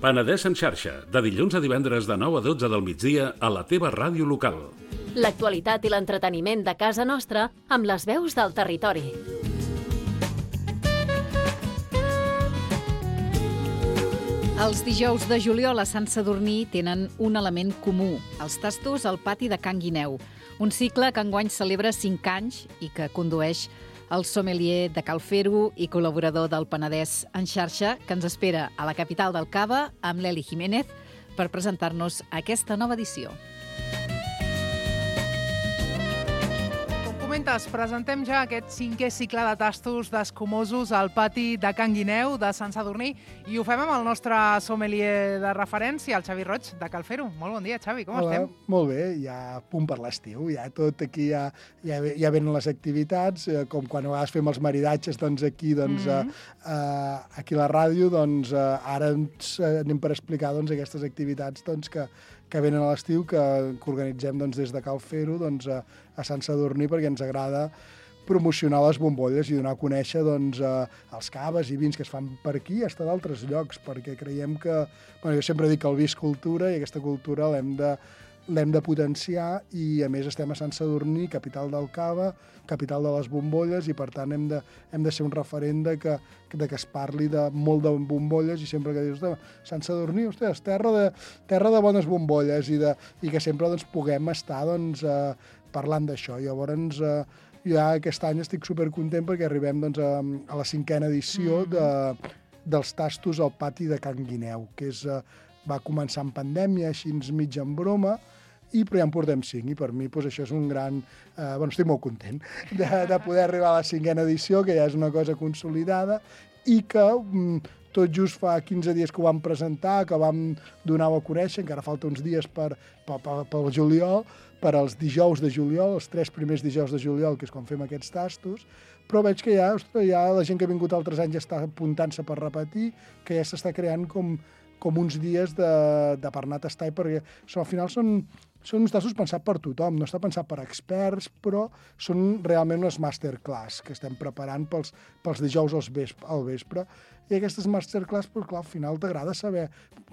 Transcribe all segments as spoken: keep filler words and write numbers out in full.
Penedès en xarxa, de dilluns a divendres de nou a dotze del migdia a la teva ràdio local. L'actualitat i l'entreteniment de casa nostra amb les veus del territori. Els dijous de juliol a Sant Sadurní tenen un element comú, els tastos al pati de Can Guineu, un cicle que enguany celebra cinc anys i que condueix el sommelier de Cal Fer-ho i col·laborador del Penedès en xarxa, que ens espera a la capital del Cava, amb l'Eli Jiménez, per presentar-nos aquesta nova edició. Comentes, presentem ja aquest cinquè cicle de tastos d'escumosos al pati de Can Guineu, de Sant Sadurní, i ho fem amb el nostre sommelier de referència, el Xavi Roig, de Cal Fer-ho. Molt bon dia, Xavi, com Hola, estem? Molt bé, ja a punt per l'estiu, ja tot aquí, ja, ja, ja venen les activitats, eh, com quan a vegades fem els maridatges, doncs aquí, doncs, mm -hmm. eh, eh, aquí a la ràdio, doncs eh, ara ens eh, anem per explicar doncs, aquestes activitats doncs, que, que venen a l'estiu, que, que organitzem doncs, des de Cal Fer-ho doncs, a, a Sant Sadurní, perquè ens agrada promocionar les bombolles i donar a conèixer doncs, eh, els caves i vins que es fan per aquí i fins d'altres llocs, perquè creiem que... Bueno, jo sempre dic que el vi és cultura i aquesta cultura l'hem de, l'hem de potenciar i, a més, estem a Sant Sadurní, capital del cava, capital de les bombolles, i, per tant, hem de, hem de ser un referent de que, de que es parli de molt de bombolles i sempre que dius, Sant Sadurní, ostres, terra de, terra de bones bombolles i, de, i que sempre doncs, puguem estar doncs, eh, parlant d'això. Llavors, eh, ja aquest any estic supercontent perquè arribem doncs, a, a la cinquena edició de, dels tastos al pati de Can Guineu, que és, eh, va començar en pandèmia, així mig en broma, i però ja en portem cinc, i per mi doncs, això és un gran... Eh, bueno, estic molt content de, de poder arribar a la cinquena edició, que ja és una cosa consolidada, i que mm, tot just fa quinze dies que ho vam presentar, que vam donar-ho a conèixer, encara falta uns dies per, per, per, pel juliol, per als dijous de juliol, els tres primers dijous de juliol, que és quan fem aquests tastos, però veig que ja, ostres, ja la gent que ha vingut altres anys ja està apuntant-se per repetir, que ja s'està creant com, com uns dies de, de per anar a tastar, perquè so, al final són, són uns tastos pensats per tothom, no està pensat per experts, però són realment unes masterclass que estem preparant pels, pels dijous al vespre, al vespre. I aquestes masterclass, doncs, clar, al final t'agrada saber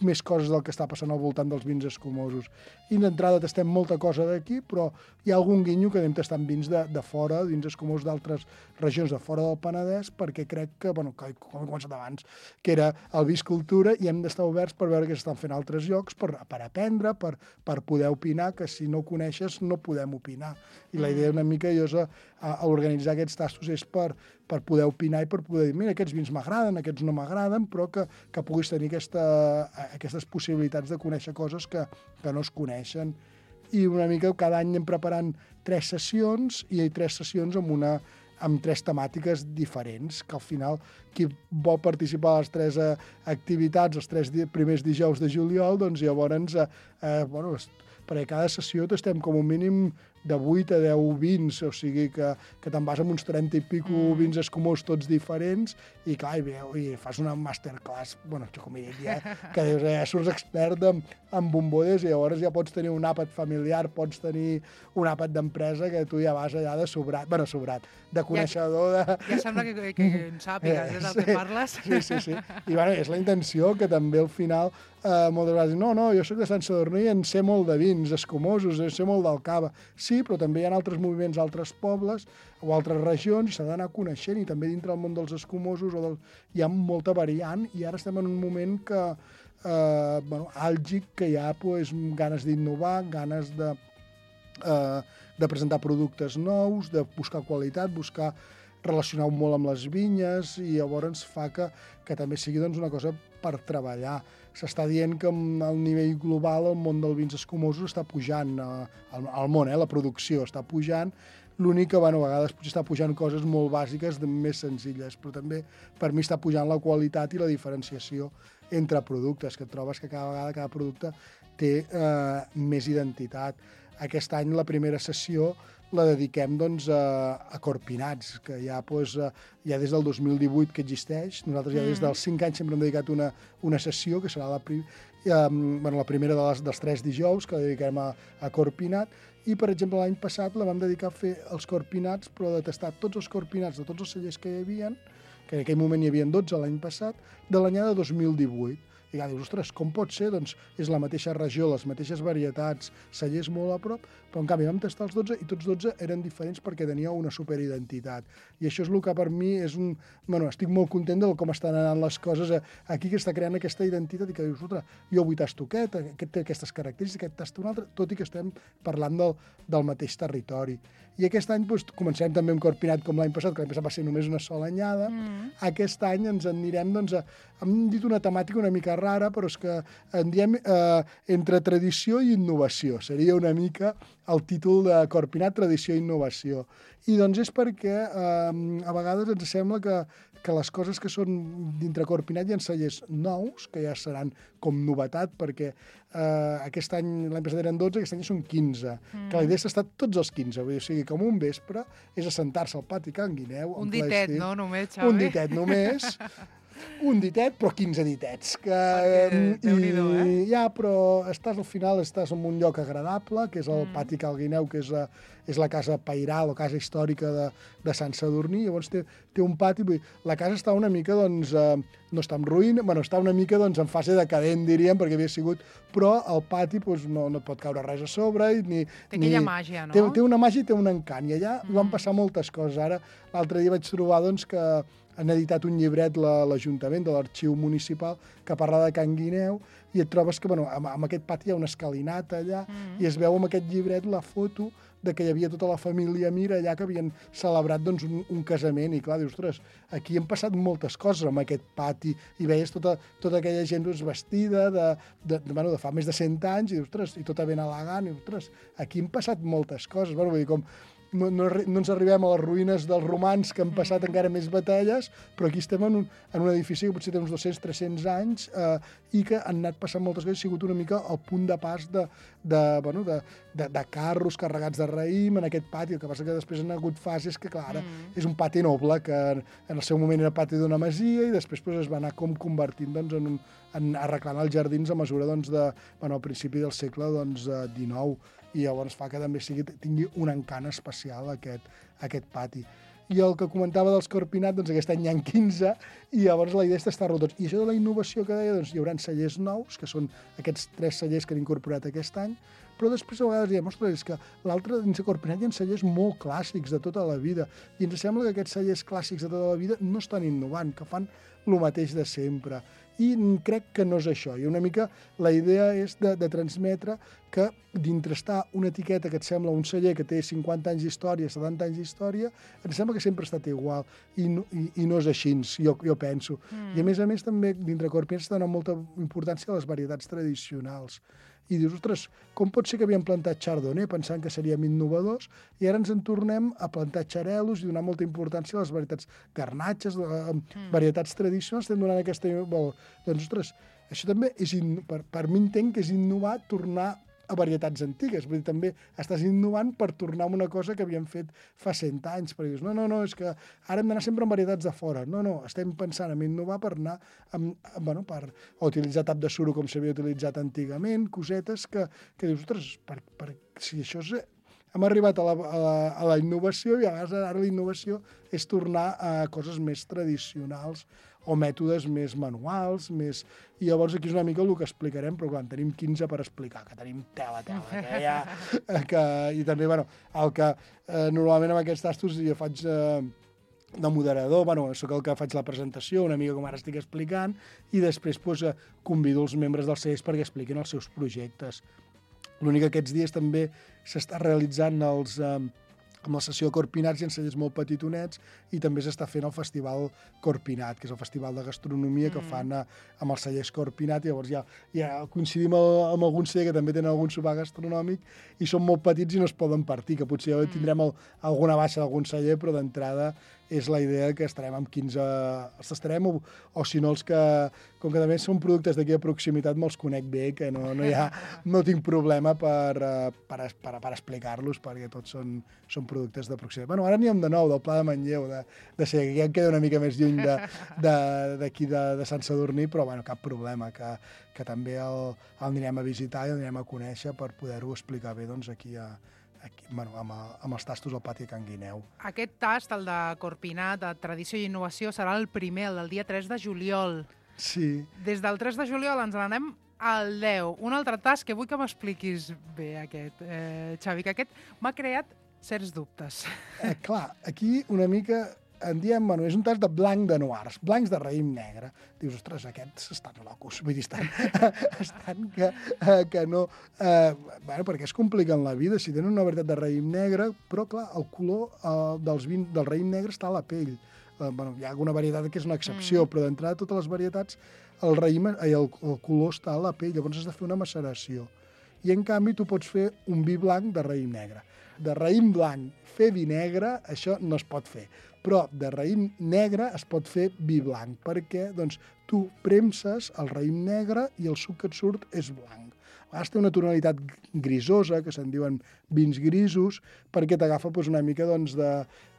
més coses del que està passant al voltant dels vins escumosos. I d'entrada tastem molta cosa d'aquí, però hi ha algun guinyo que anem tastant vins de, de fora, vins escumosos d'altres regions de fora del Penedès, perquè crec que, bueno, com he començat abans, que era el vi és cultura i hem d'estar oberts per veure què s'estan fent altres llocs, per, per aprendre, per, per poder opinar, que si no coneixes no podem opinar. I la idea una mica jo és a, a organitzar aquests tastos és per, per poder opinar i per poder dir, mira, aquests vins m'agraden, aquests no m'agraden, però que, que puguis tenir aquesta, aquestes possibilitats de conèixer coses que, que no es coneixen. I una mica cada any anem preparant tres sessions, i hi ha tres sessions amb una amb tres temàtiques diferents, que al final qui vol participar a les tres eh, activitats, els tres di primers dijous de juliol, doncs llavors, eh, eh, bueno, perquè cada sessió estem com un mínim de vuit a deu vins, o sigui que, que te'n vas amb uns trenta i pico mm. vins escumosos tots diferents, i clar, i, veu, i fas una masterclass, bueno, jo com he dit ja, que dius, eh, surts expert en, en bombolles, i llavors ja pots tenir un àpat familiar, pots tenir un àpat d'empresa, que tu ja vas allà de sobrat, bueno, sobrat, de coneixedor de... Ja, ja sembla que, que, que en sàpigues, és el sí, que parles. Sí, sí, sí. I bueno, és la intenció que també al final eh, moltes vegades no, no, jo soc de Sant Sadurní i en sé molt de vins escumosos, en sé molt del cava. Sí, però també hi ha altres moviments, altres pobles o altres regions, i s'ha d'anar coneixent, i també dintre del món dels escumosos o del... hi ha molta variant, i ara estem en un moment que, eh, bueno, àlgic, que hi ha pues, ganes d'innovar, ganes de, eh, de presentar productes nous, de buscar qualitat, buscar relacionar-ho molt amb les vinyes, i llavors fa que, que també sigui doncs, una cosa per treballar. S'està dient que al nivell global el món dels vins escumosos està pujant, eh, el món, eh, la producció està pujant, l'únic que, bueno, a vegades potser està pujant coses molt bàsiques, més senzilles, però també per mi està pujant la qualitat i la diferenciació entre productes, que et trobes que cada vegada cada producte té eh, més identitat. Aquest any la primera sessió la dediquem doncs, a, a Corpinats, que ja, doncs, ja des del dos mil divuit que existeix. Nosaltres ja des dels cinc anys sempre hem dedicat una, una sessió, que serà la, prim, eh, bueno, la primera de les, dels tres dijous, que la dediquem a, a Corpinat. I, per exemple, l'any passat la vam dedicar a fer els Corpinats, però de tastar tots els Corpinats de tots els cellers que hi havia, que en aquell moment hi havia dotze l'any passat, de l'anyada dos mil divuit. I clar, dius, ostres, com pot ser? Doncs és la mateixa regió, les mateixes varietats, cellers molt a prop, però en canvi vam tastar els dotze i tots dotze eren diferents perquè tenia una superidentitat. I això és el que per mi és un... Bueno, estic molt content de com estan anant les coses aquí, que està creant aquesta identitat i que dius, ostres, jo avui tasto aquest, aquest té aquestes característiques, aquest tasto un altre, tot i que estem parlant del, del mateix territori. I aquest any doncs, comencem també amb Corpinat com l'any passat, que l'any passat va ser només una sola anyada. Mm. Aquest any ens en anirem, doncs, a, hem dit una temàtica una mica rara, però és que en diem eh, entre tradició i innovació. Seria una mica el títol de Corpinat, tradició i innovació. I doncs és perquè eh, a vegades ens sembla que, que les coses que són dintre Corpinat hi ha cellers nous, que ja seran com novetat, perquè eh, aquest any, l'any passat eren dotze, aquest any són quinze. Mm. Que la idea és estar tots els quinze, vull dir, o sigui, com un vespre, és assentar-se al pati Can Guineu. Un ditet, no, només, Xavi? Un ditet només. Un ditet, però quinze ditets. Que, perquè, i, eh? Ja, però estàs al final, estàs en un lloc agradable, que és el mm. pati Cal Guineu, que és, a, és la casa pairal o casa històrica de, de Sant Sadurní. Llavors té, té un pati, vull dir, la casa està una mica, doncs, eh, no està en ruïna, bueno, està una mica doncs, en fase decadent, diríem, perquè havia sigut, però el pati doncs, no, no et pot caure res a sobre. Ni, té aquella ni, màgia, no? Té, té una màgia i té un encant, i allà mm. van passar moltes coses. Ara, l'altre dia vaig trobar doncs, que han editat un llibret l'Ajuntament de l'Arxiu Municipal que parla de Can Guineu i et trobes que bueno, amb, amb aquest pati hi ha una escalinata allà mm. i es veu amb aquest llibret la foto de que hi havia tota la família Mir allà que havien celebrat doncs, un, un casament i clar, dius, ostres, aquí han passat moltes coses amb aquest pati i veies tota, tota aquella gent doncs, vestida de, de, de, bueno, de fa més de cent anys i, dius, ostres, i tota ben elegant i, ostres, aquí han passat moltes coses, bueno, vull dir, com No, no, no ens arribem a les ruïnes dels romans que han passat encara més batalles, però aquí estem en un, en un edifici que potser té uns dos-cents tres-cents anys eh, i que han anat passant moltes coses, ha sigut una mica el punt de pas de, de, bueno, de, de, de carros carregats de raïm en aquest pati, el que passa que després han hagut fases que, clar, mm. és un pati noble, que en el seu moment era pati d'una masia i després pues, es va anar com convertint doncs, en un, en, arreglant els jardins a mesura doncs, de, bueno, al principi del segle doncs, dinou, i llavors fa que també sigui, tingui un encant especial aquest, aquest pati. I el que comentava dels Corpinat, doncs aquest any hi ha quinze, i llavors la idea és tastar-lo tots. I això de la innovació que deia, doncs hi haurà cellers nous, que són aquests tres cellers que han incorporat aquest any, però després a vegades diem, ostres, és que l'altre dins de Corpinat hi ha cellers molt clàssics de tota la vida, i ens sembla que aquests cellers clàssics de tota la vida no estan innovant, que fan el mateix de sempre. I crec que no és això. I una mica la idea és de, de transmetre que dintre està una etiqueta que et sembla un celler que té cinquanta anys d'història, setanta anys d'història, em sembla que sempre ha estat igual. I no, i, i no és així, jo, jo penso. Mm. I a més a més també dintre Corpinat s'ha donat molta importància a les varietats tradicionals. I dius, ostres, com pot ser que havíem plantat chardonnay pensant que seríem innovadors i ara ens en tornem a plantar xarelos i donar molta importància a les varietats garnatxes, mm. varietats tradicionals, estem donant aquesta... Bueno, doncs, ostres, això també és... In... Per, per mi entenc que és innovar tornar a varietats antigues. Vull dir, també estàs innovant per tornar a una cosa que havíem fet fa cent anys. Perquè dius, no, no, no, és que ara hem d'anar sempre amb varietats de fora. No, no, estem pensant en innovar per anar amb, bueno, per utilitzar tap de suro com s'havia utilitzat antigament, cosetes que, que dius, ostres, per, per, si això és... Hem arribat a la, a, la, a la innovació i a vegades ara la innovació és tornar a coses més tradicionals o mètodes més manuals, més... I llavors aquí és una mica el que explicarem, però clar, en tenim quinze per explicar, que tenim tela, tela, que ja... Que... I també, bueno, el que eh, normalment amb aquests tastos jo faig... Eh, de moderador, bueno, sóc el que faig la presentació, una mica com ara estic explicant, i després pues, convido els membres dels cellers perquè expliquin els seus projectes. L'únic que aquests dies també s'està realitzant els, eh, amb la sessió Corpinats i en cellers molt petitonets i també s'està fent el Festival Corpinat, que és el festival de gastronomia mm. que fan a, amb els cellers Corpinat, i llavors ja, ja coincidim amb algun celler que també tenen algun sopar gastronòmic i són molt petits i no es poden partir, que potser ja tindrem el, alguna baixa d'algun celler, però d'entrada és la idea que estarem amb quinze... Els estarem, o, o si no els que... Com que també són productes d'aquí a proximitat, me'ls conec bé, que no, no, hi ha, no tinc problema per, per, per, per explicar-los, perquè tots són, són productes de proximitat. Bueno, ara n'hi ha de nou, del Pla de Manlleu, de, de ser, que ja em queda una mica més lluny d'aquí de, de, de, de Sant Sadurní, però bueno, cap problema, que, que també el, el anirem a visitar i el anirem a conèixer per poder-ho explicar bé doncs, aquí a... Aquí, bueno, amb, amb els tastos al pati Can Guineu. Aquest tast, el de Corpinat, de tradició i innovació, serà el primer, el del dia tres de juliol. Sí. Des del tres de juliol ens n'anem al deu. Un altre tast que vull que m'expliquis bé, aquest, eh, Xavi, que aquest m'ha creat certs dubtes. Eh, clar, aquí una mica en diem, bueno, és un tast de blanc de noirs, blancs de raïm negre. Dius, ostres, aquests estan locos, vull dir, estan, estan que, eh, que no... Eh, bueno, perquè es compliquen la vida, si tenen una varietat de raïm negre, però, clar, el color eh, dels vin, del raïm negre està a la pell. Eh, bueno, hi ha alguna varietat que és una excepció, mm. però d'entrada totes les varietats, el raïm, eh, el, el color està a la pell, llavors has de fer una maceració. I, en canvi, tu pots fer un vi blanc de raïm negre. De raïm blanc fer vi negre, això no es pot fer. Però de raïm negre es pot fer vi blanc, perquè doncs, tu premses el raïm negre i el suc que et surt és blanc. A vegades té una tonalitat grisosa, que se'n diuen vins grisos, perquè t'agafa doncs, una mica doncs, de...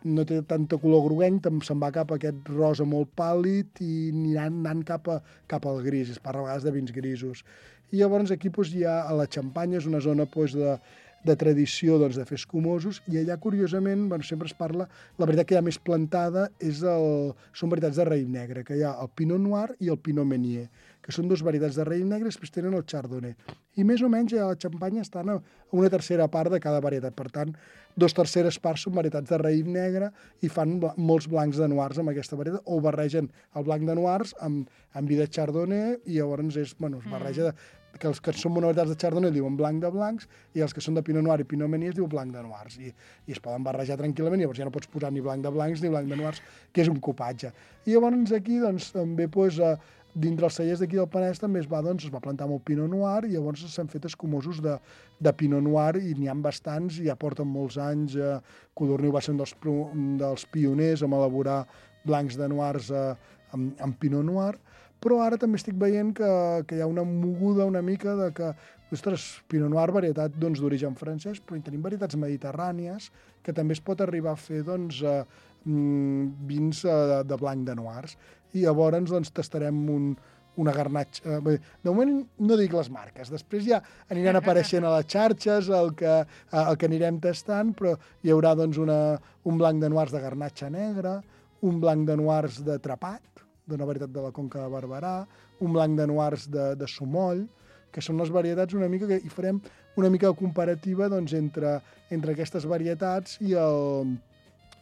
no té tanta color groguenc, se'n va cap a aquest rosa molt pàl·lid i aniran anant cap, a, cap al gris, es parla a vegades de vins grisos. I llavors aquí doncs, hi ha a la Xampanya, és una zona doncs, de, de tradició doncs, de fer escumosos, i allà, curiosament, bueno, sempre es parla, la veritat que hi ha més plantada és el, són varietats de raïm negre, que hi ha el Pinot Noir i el Pinot Meunier, que són dues varietats de raïm negre, després tenen el Chardonnay. I més o menys a la Xampanya estan a una tercera part de cada varietat. Per tant, dos terceres parts són varietats de raïm negre i fan molts blancs de noirs amb aquesta varietat, o barregen el blanc de noirs amb, amb vi de Chardonnay, i llavors és, bueno, es barreja de, que els que són varietats de Chardonnay diuen blanc de blancs, i els que són de Pinot Noir i Pinot Meunier es diu blanc de noirs, i, i es poden barrejar tranquil·lament, i llavors ja no pots posar ni blanc de blancs ni blanc de noirs, que és un copatge. I llavors aquí, doncs, també, doncs, eh, dintre els cellers d'aquí del Penedès també es va, doncs, es va plantar molt Pinot Noir, i llavors s'han fet escumosos de, de Pinot Noir, i n'hi ha bastants, i ja porten molts anys. Eh, Codorniu va ser un dels, dels pioners en elaborar blancs de noirs eh, amb, amb Pinot Noir, però ara també estic veient que, que hi ha una moguda una mica de que, ostres, Pinot Noir, varietat doncs, d'origen francès, però hi tenim varietats mediterrànies que també es pot arribar a fer doncs, eh, vins eh, de, de blanc de noirs. I llavors doncs, tastarem un, una garnatxa. Eh, de moment no dic les marques, després ja aniran apareixent a les xarxes el que, el que anirem tastant, però hi haurà doncs, una, un blanc de noirs de garnatxa negra, un blanc de noirs de trapat, d'una varietat de la Conca de Barberà, un blanc de noirs de, de Sumoll, que són les varietats una mica que hi farem una mica de comparativa doncs, entre, entre aquestes varietats i el,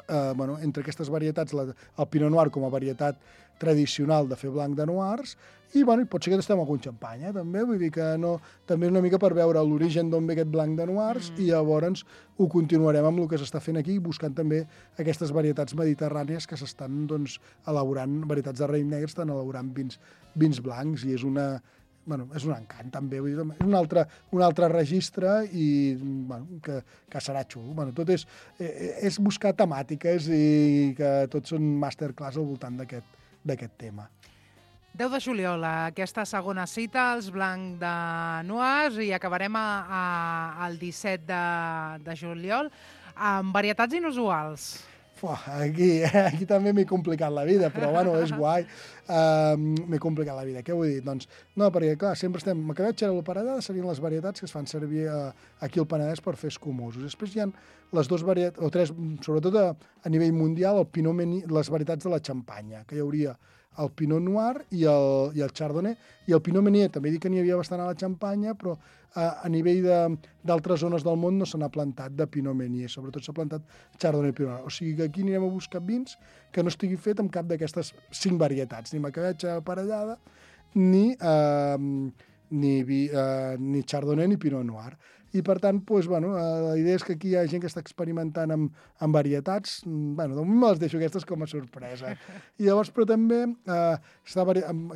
eh, bueno, entre aquestes varietats, la, el Pinot Noir com a varietat tradicional de fer blanc de noirs, i bueno, pot ser que estem algun xampany, eh, també, vull dir que no, també una mica per veure l'origen d'on ve aquest blanc de noirs, mm. i llavors ho continuarem amb el que s'està fent aquí, buscant també aquestes varietats mediterrànies que s'estan doncs, elaborant, varietats de raïm negre, estan elaborant vins, vins blancs, i és una... Bueno, és un encant, també. Vull dir, és un altre, un altre registre i bueno, que, que serà xulo. Bueno, tot és, és buscar temàtiques i que tots són masterclass al voltant d'aquest tema. deu de juliol, aquesta segona cita, els blanc de noirs, i acabarem a, a, el disset de, de juliol amb varietats inusuals. Fuà, aquí, aquí també m'he complicat la vida, però bueno, és guai. Uh, m'he complicat la vida. Què vull dir? Doncs, no, perquè clar, sempre estem... Macabetxa i la Paredada serien les varietats que es fan servir uh, aquí al Penedès per fer escumosos. Després hi ha les dues varietats, o tres, sobretot a, a nivell mundial, el Pinot Meunier, les varietats de la Xampanya, que hi hauria el Pinot Noir i el, i el Chardonnay, i el Pinot Meunier, també dic que n'hi havia bastant a la Xampanya, però a, a nivell d'altres zones del món no se n'ha plantat de Pinot Meunier, sobretot s'ha plantat Chardonnay i Pinot Noir. O sigui que aquí anirem a buscar vins que no estigui fet amb cap d'aquestes cinc varietats, ni macabetxa aparellada, ni, eh, ni, vi, eh, ni Chardonnay ni Pinot Noir. I, per tant, doncs, bueno, la idea és que aquí hi ha gent que està experimentant amb, amb varietats. Bueno, de moment me les deixo aquestes com a sorpresa. I llavors, però també eh, està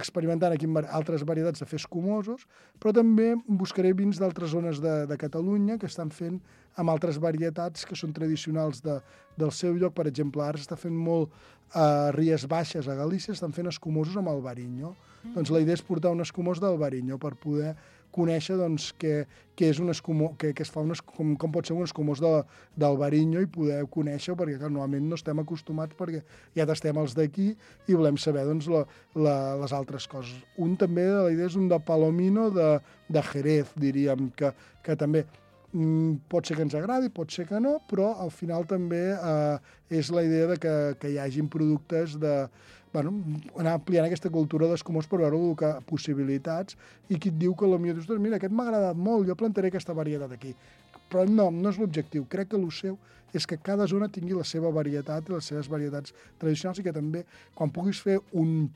experimentant aquí amb altres varietats de fer escumosos, però també buscaré vins d'altres zones de, de Catalunya que estan fent amb altres varietats que són tradicionals de, del seu lloc. Per exemple, ara s'està fent molt a Ries Baixes, a Galícia, estan fent escumosos amb Albariño. Mm. Doncs la idea és portar un escumós d'Albariño per poder conèixer doncs, què, què és un escumós, què, què es fa un com, com pot ser un escumós d'Albariño i poder conèixer, perquè clar, normalment no estem acostumats perquè ja tastem els d'aquí i volem saber doncs, la, la, les altres coses. Un també, la idea és un de Palomino de, de Jerez, diríem, que, que també mm, pot ser que ens agradi, pot ser que no, però al final també eh, és la idea de que, que hi hagin productes de bueno, anar ampliant aquesta cultura d'escumós per veure el que, possibilitats, i qui et diu que potser dius, mira, aquest m'ha agradat molt, jo plantaré aquesta varietat aquí. Però no, no és l'objectiu. Crec que el seu és que cada zona tingui la seva varietat i les seves varietats tradicionals, i que també, quan puguis fer un,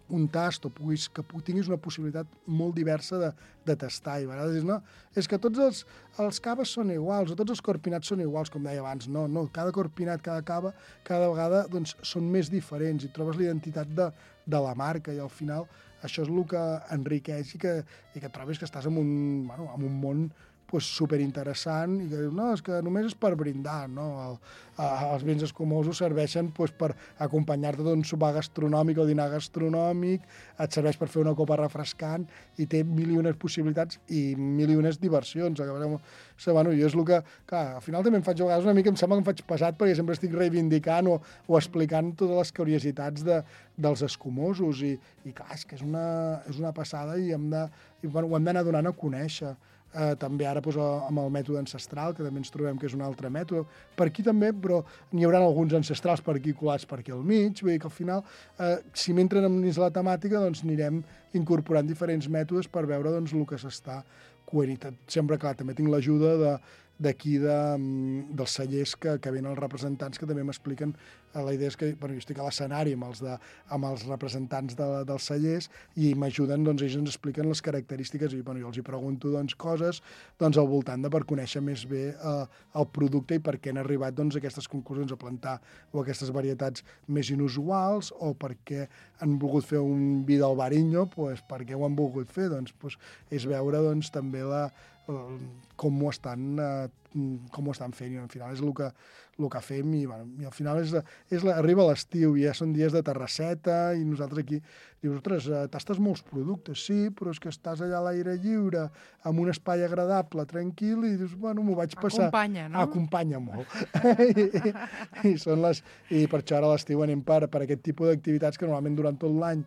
un tast o puguis, que tinguis una possibilitat molt diversa de, de tastar. I a vegades dius, no, és que tots els, els caves són iguals, o tots els corpinats són iguals, com deia abans. No, no, cada corpinat, cada cava, cada vegada doncs, són més diferents i trobes la identitat de, de la marca, i al final això és el que enriqueix i que, i que trobes que estàs en un, bueno, en un món pues, superinteressant, i que dius, no, és que només és per brindar, no? El, eh, els vins escumosos serveixen pues, per acompanyar-te d'un sopar gastronòmic o dinar gastronòmic, et serveix per fer una copa refrescant, i té mil i unes possibilitats i mil i unes diversions. So, bueno, jo és el que, clar, al final també em faig a vegades una mica, em sembla que em faig pesat, perquè sempre estic reivindicant o, o explicant totes les curiositats de, dels escumosos, i, i clar, és que és una, és una passada, i, hem de, i bueno, ho hem d'anar donant a conèixer. Eh, també ara doncs, amb el mètode ancestral, que també ens trobem que és un altre mètode. Per aquí també, però n'hi haurà alguns ancestrals per aquí colats per aquí al mig, vull dir que al final, eh, si m'entren dins la temàtica, doncs anirem incorporant diferents mètodes per veure doncs, el que s'està coent. Sempre, clar, també tinc l'ajuda de d'aquí de, dels cellers que, que venen els representants, que també m'expliquen. La idea és que bueno, jo estic a l'escenari amb, els de, amb els representants de, dels cellers, i m'ajuden, doncs ells ens expliquen les característiques, i bueno, jo els hi pregunto doncs, coses doncs, al voltant de per conèixer més bé eh, el producte i per què han arribat doncs, a aquestes conclusions, a plantar o aquestes varietats més inusuals, o per què han volgut fer un vi del Bariño, doncs, per què ho han volgut fer, doncs, doncs és veure doncs, també la, com ho estan, eh, com ho estan fent, i al final és el que, el que fem, i, bueno, i al final és, és la, arriba l'estiu, i ja són dies de terrasseta, i nosaltres aquí dius, ostres, tastes molts productes, sí, però és que estàs allà a l'aire lliure, amb un espai agradable, tranquil, i dius, bueno, m'ho vaig passar... Acompanya, no? Acompanya molt. I, i, són les, I per això ara a l'estiu anem per, per aquest tipus d'activitats que normalment durant tot l'any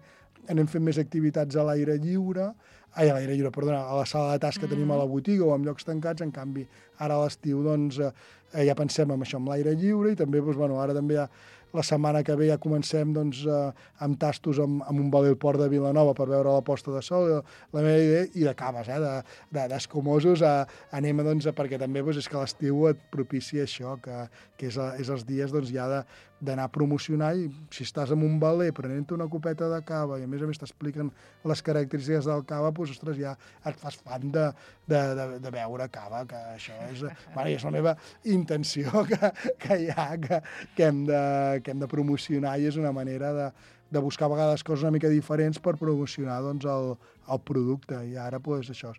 anem fent més activitats a l'aire lliure, ai, a l'aire lliure, perdona, a la sala de tas que mm. tenim a la botiga o en llocs tancats. En canvi, ara a l'estiu doncs, eh, ja pensem en això, amb l'aire lliure, i també, doncs, bueno, ara també ja, la setmana que ve ja comencem doncs, eh, amb tastos amb, amb un balé al Port de Vilanova per veure la posta de sol, la meva idea, i de caves, eh, d'escumosos, de, de, anem, doncs, perquè també doncs, és que l'estiu et propicia això, que, que és, a, és els dies doncs, ja de, d'anar a promocionar, i si estàs en un baler prenent una copeta de cava i a més a més t'expliquen les característiques del cava, doncs, ostres, ja et fas fan de, de, de, de beure cava, que això és, bueno, és la meva intenció que, que hi ha, que, que, hem de, que hem de promocionar, i és una manera de, de buscar a vegades coses una mica diferents per promocionar doncs, el, el producte. I ara, doncs, això,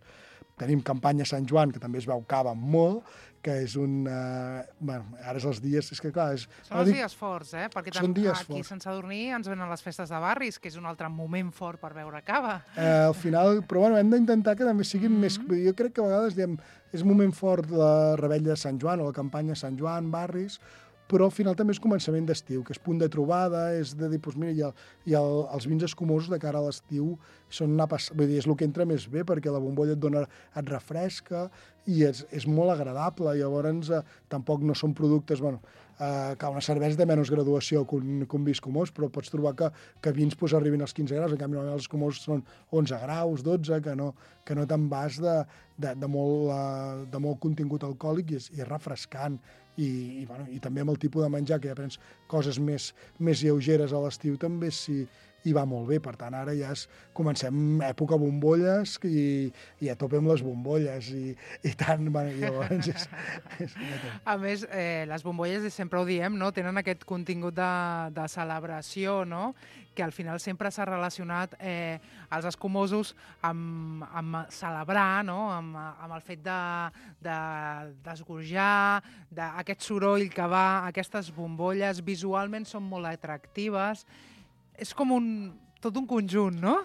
tenim campanya Sant Joan, que també es veu cava molt, que és un... Eh, bueno, ara és els dies... És que, clar, és, són els dic, dies forts, eh? Perquè són dies aquí forts. a Sant Sadurní ens venen les festes de barris, que és un altre moment fort per beure cava. Eh, al final, però bueno, hem d'intentar que també siguin mm -hmm. més... Jo crec que a vegades diem, és moment fort la rebella de Sant Joan o la campanya Sant Joan, barris, però al final també és començament d'estiu, que és punt de trobada, és de dir, doncs mira, i, el, i el, els vins escumosos de cara a l'estiu són una pas... Vull dir, és el que entra més bé, perquè la bombolla et dona, et refresca, i és, és molt agradable. Llavors, eh, tampoc no són productes... Bueno, eh, que una cervesa de menys graduació que un, que un vi escumós, però pots trobar que, que vins pues, arribin als quinze graus, en canvi els escumosos són onze graus, dotze, que no, que no te'n vas de, de, de, molt, uh, de molt contingut alcohòlic, i és, i és refrescant. I, i, bueno, i també amb el tipus de menjar, que ja prens coses més, més lleugeres a l'estiu, també si i va molt bé. Per tant, ara ja és, comencem època bombolles, i, i a tope amb les bombolles, i, i tant, bueno, llavors és, és... A més, eh, les bombolles, sempre ho diem, no? Tenen aquest contingut de, de celebració, no? Que al final sempre s'ha relacionat eh, els escumosos amb, amb celebrar, no? amb, amb el fet d'esgorjar, de, d'aquest soroll que va, aquestes bombolles visualment són molt atractives. És com un, tot un conjunt, no?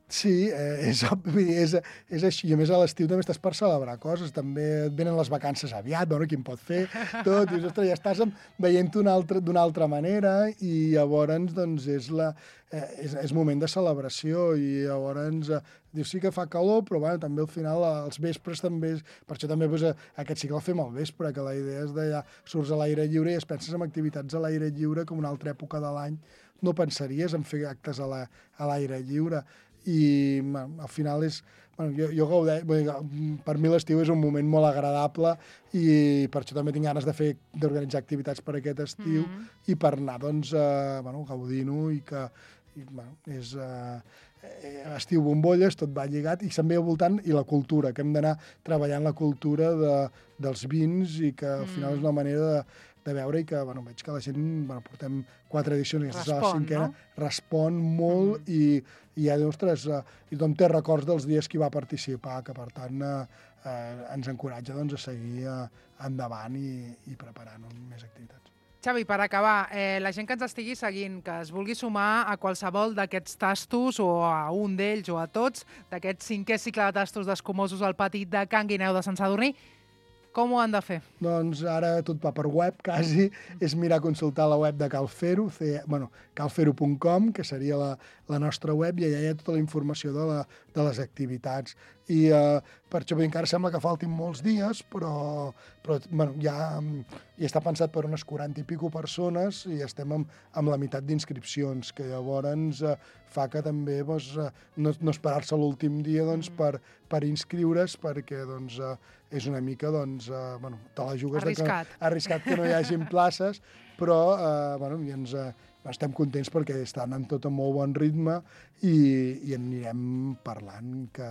Sí, eh, és, és, és així. A més, a l'estiu també estàs per celebrar coses. També et venen les vacances aviat, bueno, qui en pot fer, tot. I, ostres, ja estàs veient-ho d'una altra, d'una altra manera, i llavors doncs, és, la, eh, és, és moment de celebració, i llavors eh, dius, sí que fa calor, però bueno, també al final els vespres també... Per això també doncs, aquest cicle el fem al vespre, que la idea és de ja surts a l'aire lliure i es penses en activitats a l'aire lliure com una altra època de l'any, no pensaries en fer actes a la- a l'aire lliure. I bueno, al final és... Bueno, jo, jo gaudeix, per mi l'estiu és un moment molt agradable i per això també tinc ganes de fer d'organitzar activitats per aquest estiu mm-hmm. i per anar doncs, eh, bueno, gaudint-ho i que i, bueno, és eh, estiu bombolles, tot va lligat i se'n ve al voltant i la cultura, que hem d'anar treballant la cultura de, dels vins i que al final mm. és una manera de, de veure i que bueno, veig que la gent, bueno, portem quatre edicions, aquesta és la cinquena, no? Respon molt mm. i, i ja, ostres, eh, i tothom té records dels dies que hi va participar, que per tant eh, eh, ens encoratja doncs, a seguir eh, endavant i, i preparant més activitats. Xavi, per acabar, eh, la gent que ens estigui seguint, que es vulgui sumar a qualsevol d'aquests tastos o a un d'ells o a tots, d'aquest cinquè cicle de tastos d'escumosos al pati de Can Guineu de Sant Sadurní, com ho han de fer? Doncs ara tot va per web, quasi. És mirar a consultar la web de Calfero, c, bueno, calfero punt com, que seria la, la nostra web, i allà hi ha tota la informació de, la, de les activitats. I eh, per això encara sembla que faltin molts dies, però, però bueno, ja, ja està pensat per unes quaranta i pico persones i estem amb, amb la meitat d'inscripcions, que llavors eh, fa que també doncs, eh, no, no esperar-se l'últim dia doncs, per, per inscriure's, perquè doncs, eh, és una mica, doncs, eh, bueno, te la jugues arriscat. De que, arriscat que no hi hagin places, però eh, bueno, i ens, eh, estem contents perquè està anant tot a molt bon ritme i, i en anirem parlant que...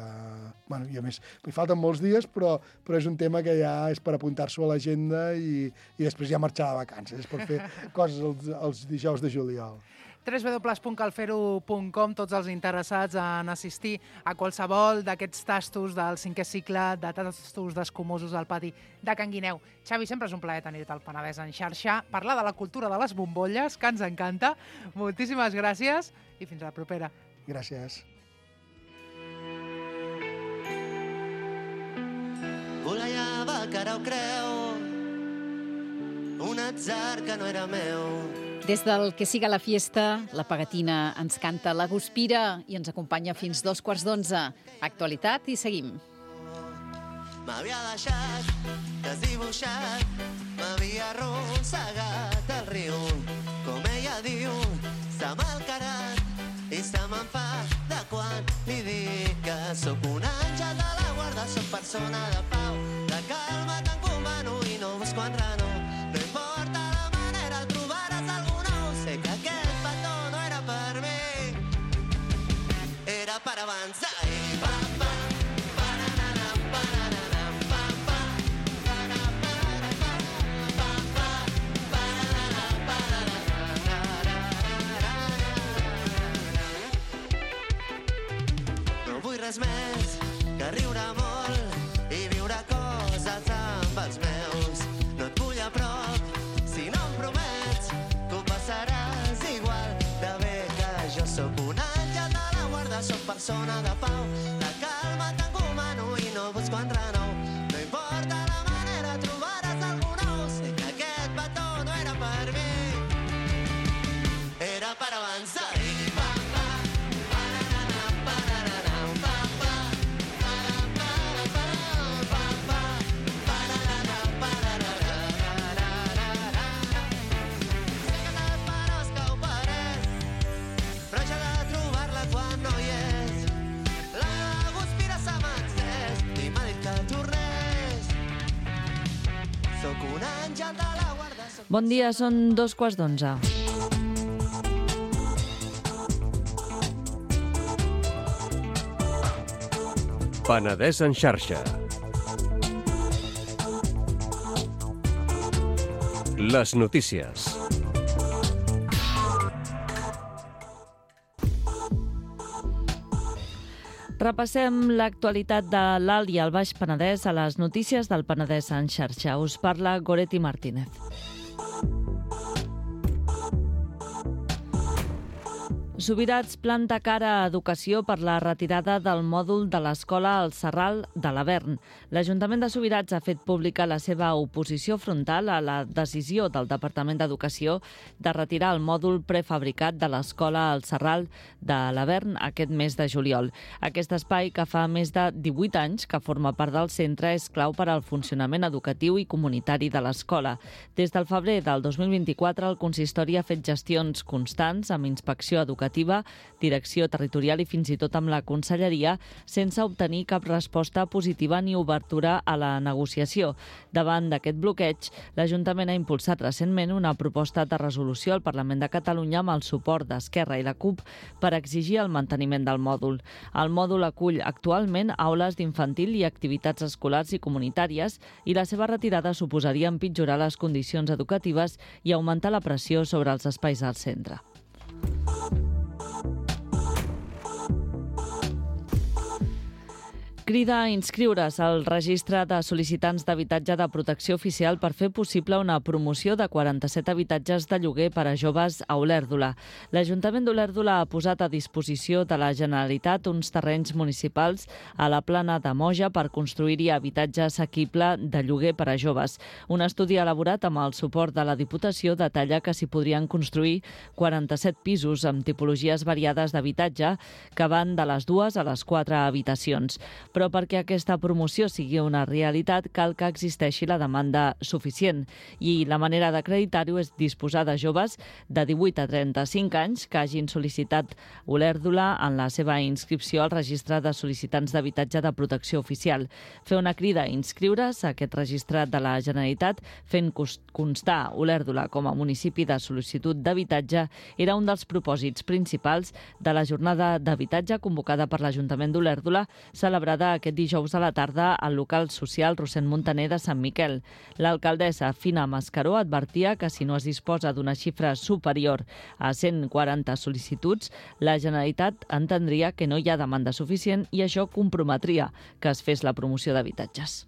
Bueno, i a més, hi falten molts dies, però, però és un tema que ja és per apuntar-s'ho a l'agenda i, i després ja marxar de vacances, per fer coses els, els dijous de juliol. w w w punt calfero punt com, tots els interessats en assistir a qualsevol d'aquests tastos del cinquè cicle de tastos d'escumosos al pati de Can Guineu. Xavi, sempre és un plaer tenir-te al Penedès en xarxa, parlar de la cultura de les bombolles, que ens encanta. Moltíssimes gràcies i fins a la propera. Gràcies. Volejava cara o creu, un atzar que no era meu. Des del Que siga la fiesta, la Pegatina ens canta La Guspira i ens acompanya fins dos quarts d'onze. Actualitat i seguim. M'havia deixat desdibuixat, m'havia arrossegat al riu. Com ella diu, s'ha malcarat i se me'n fa de quan li dic que sóc un àngel de la guarda, sóc persona de pau, de calma t'encomano i no busco enrenou. No importa la manera, trobaràs algú nou. Sé que aquest petó no era per mi, era per avançar i pa, pa. Res més que riure molt i viure coses amb els meus. No et vull a prop si no em promets que ho passaràs igual de bé que jo. Sóc un àngel de la guarda, sóc persona de pau, de calma t'encomano i no busco enrenou. No importa la manera, trobaràs algú nou. Sé que aquest petó no era per mi, era per avançar i pa, pa. Bon dia, són dos quarts d'onze. Penedès en xarxa. Les notícies. Repassem l'actualitat de l'Alt i el Baix Penedès a les notícies del Penedès en xarxa. Us parla Goretti Martínez. Subirats planta cara a Educació per la retirada del mòdul de l'escola al Serral de l'Avern. L'Ajuntament de Subirats ha fet pública la seva oposició frontal a la decisió del Departament d'Educació de retirar el mòdul prefabricat de l'escola al Serral de l'Avern aquest mes de juliol. Aquest espai, que fa més de divuit anys que forma part del centre, és clau per al funcionament educatiu i comunitari de l'escola. Des del febrer del dos mil vint-i-quatre, el consistori ha fet gestions constants amb inspecció educativa, direcció territorial i fins i tot amb la conselleria, sense obtenir cap resposta positiva ni obertura a la negociació. Davant d'aquest bloqueig, l'Ajuntament ha impulsat recentment una proposta de resolució al Parlament de Catalunya amb el suport d'Esquerra i la CUP per exigir el manteniment del mòdul. El mòdul acull actualment aules d'infantil i activitats escolars i comunitàries i la seva retirada suposaria empitjorar les condicions educatives i augmentar la pressió sobre els espais al centre. Crida a inscriure's al registre de sol·licitants d'habitatge de protecció oficial per fer possible una promoció de quaranta-set habitatges de lloguer per a joves a Olèrdola. L'Ajuntament d'Olèrdola ha posat a disposició de la Generalitat uns terrenys municipals a la plana de Moja per construir-hi habitatge assequible de lloguer per a joves. Un estudi elaborat amb el suport de la Diputació detalla que s'hi podrien construir quaranta-set pisos amb tipologies variades d'habitatge que van de les dues a les quatre habitacions. Però perquè aquesta promoció sigui una realitat cal que existeixi la demanda suficient i la manera d'acreditar-ho és disposar de joves de divuit a trenta-cinc anys que hagin sol·licitat Olèrdola en la seva inscripció al registre de sol·licitants d'habitatge de protecció oficial. Fer una crida a inscriure's a aquest registre de la Generalitat fent constar Olèrdola com a municipi de sol·licitud d'habitatge era un dels propòsits principals de la jornada d'habitatge convocada per l'Ajuntament d'Olèrdola, celebrada aquest dijous a la tarda al local social Rossend Montaner de Sant Miquel. L'alcaldessa Fina Mascaró advertia que si no es disposa d'una xifra superior a cent quaranta sol·licituds, la Generalitat entendria que no hi ha demanda suficient i això comprometria que es fes la promoció d'habitatges.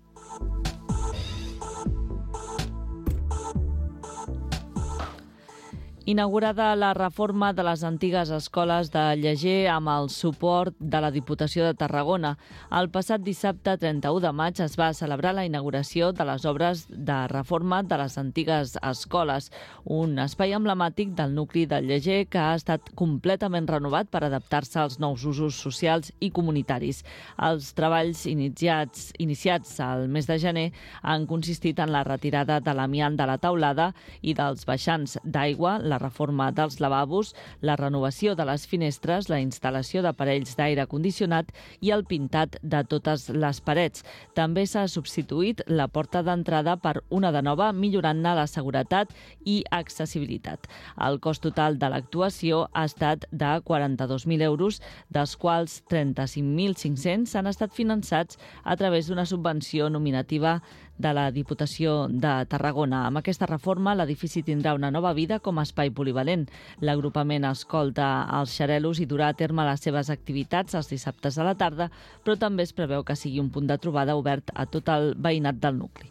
Inaugurada la reforma de les antigues escoles de Lleger amb el suport de la Diputació de Tarragona. El passat dissabte trenta-u de maig es va celebrar la inauguració de les obres de reforma de les antigues escoles, un espai emblemàtic del nucli de Lleger que ha estat completament renovat per adaptar-se als nous usos socials i comunitaris. Els treballs iniciats, iniciats al mes de gener han consistit en la retirada de l'amiant de la teulada i dels baixants d'aigua, la la reforma dels lavabos, la renovació de les finestres, la instal·lació d'aparells d'aire condicionat i el pintat de totes les parets. També s'ha substituït la porta d'entrada per una de nova, millorant-ne la seguretat i accessibilitat. El cost total de l'actuació ha estat de quaranta-dos mil euros, dels quals trenta-cinc mil cinc-cents han estat finançats a través d'una subvenció nominativa de la Diputació de Tarragona. Amb aquesta reforma, l'edifici tindrà una nova vida com a espai polivalent. L'agrupament escolta els xarelos i durà a terme les seves activitats els dissabtes a la tarda, però també es preveu que sigui un punt de trobada obert a tot el veïnat del nucli.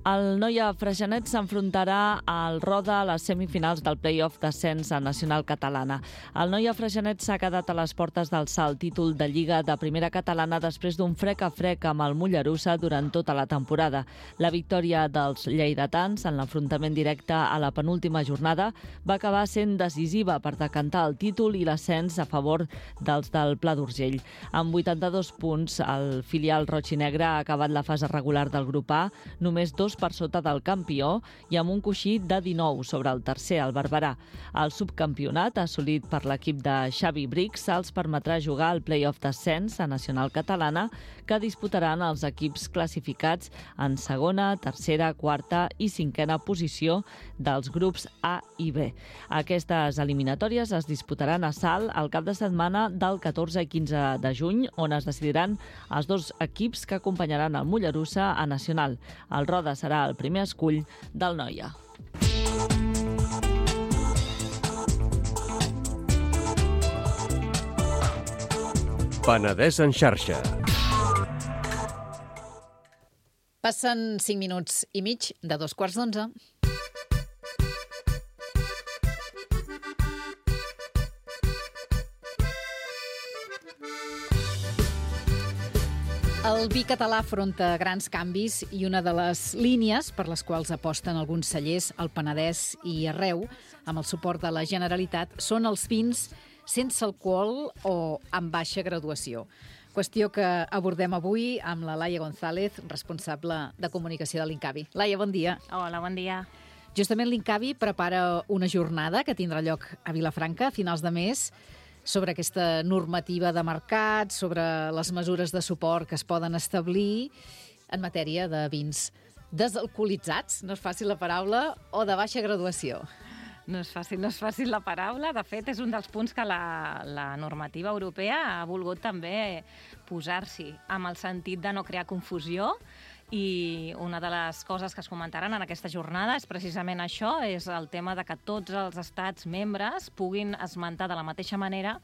El Noia Freixenet s'enfrontarà al Roda a les semifinals del play-off d'ascens a Nacional Catalana. El Noia Freixenet s'ha quedat a les portes d'alçar el títol de Lliga de Primera Catalana després d'un frec a frec amb el Mollerussa durant tota la temporada. La victòria dels lleidatans en l'enfrontament directe a la penúltima jornada va acabar sent decisiva per decantar el títol i l'ascens a favor dels del Pla d'Urgell. Amb vuitanta-dos punts, el filial roig i negre ha acabat la fase regular del grup A, només dos per sota del campió i amb un coixí de dinou sobre el tercer, el Barberà. El subcampionat, assolit per l'equip de Xavi Brix, els permetrà jugar al play-off d'ascens a Nacional Catalana, que disputaran els equips classificats en segona, tercera, quarta i cinquena posició dels grups A i B. Aquestes eliminatòries es disputaran a Salt el cap de setmana del catorze i quinze de juny, on es decidiran els dos equips que acompanyaran el Mollerussa a Nacional. El Roda serà el primer escull del Noia. Penedès en xarxa. Passen cinc minuts i mig de dos quarts d'onze. El vi català afronta grans canvis i una de les línies per les quals aposten alguns cellers al Penedès i arreu, amb el suport de la Generalitat, són els vins sense alcohol o amb baixa graduació. Qüestió que abordem avui amb la Laia González, responsable de comunicació de l'Incavi. Laia, bon dia. Hola, bon dia. Justament l'Incavi prepara una jornada que tindrà lloc a Vilafranca a finals de mes sobre aquesta normativa de mercat, sobre les mesures de suport que es poden establir en matèria de vins desalcoholitzats, no és fàcil la paraula, o de baixa graduació. No és fàcil, no és fàcil la paraula. De fet, és un dels punts que la, la normativa europea ha volgut també posar-s'hi, amb el sentit de no crear confusió. I una de les coses que es comentaran en aquesta jornada és precisament això, és el tema de que tots els estats membres puguin esmentar de la mateixa manera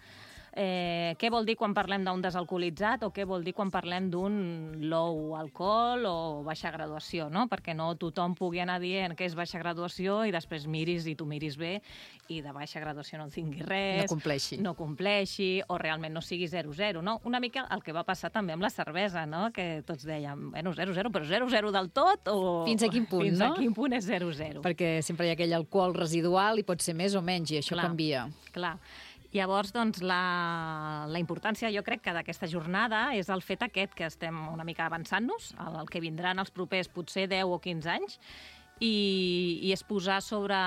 eh, què vol dir quan parlem d'un desalcoholitzat o què vol dir quan parlem d'un low alcohol o baixa graduació, no? Perquè no tothom pugui anar dient que és baixa graduació i després miris i tu miris bé i de baixa graduació no en tingui res. No compleixi. No compleixi o realment no sigui zero zero, no? Una mica el que va passar també amb la cervesa, no? Que tots dèiem, bueno, zero zero, però zero zero del tot o... Fins a quin punt, Fins no? a quin punt és zero zero. Perquè sempre hi ha aquell alcohol residual i pot ser més o menys, i això Clar, canvia. Clar. Llavors, doncs, la, la importància, jo crec que d'aquesta jornada és el fet aquest que estem una mica avançant-nos, el, el que vindran els propers potser deu o quinze anys, i, i és posar sobre,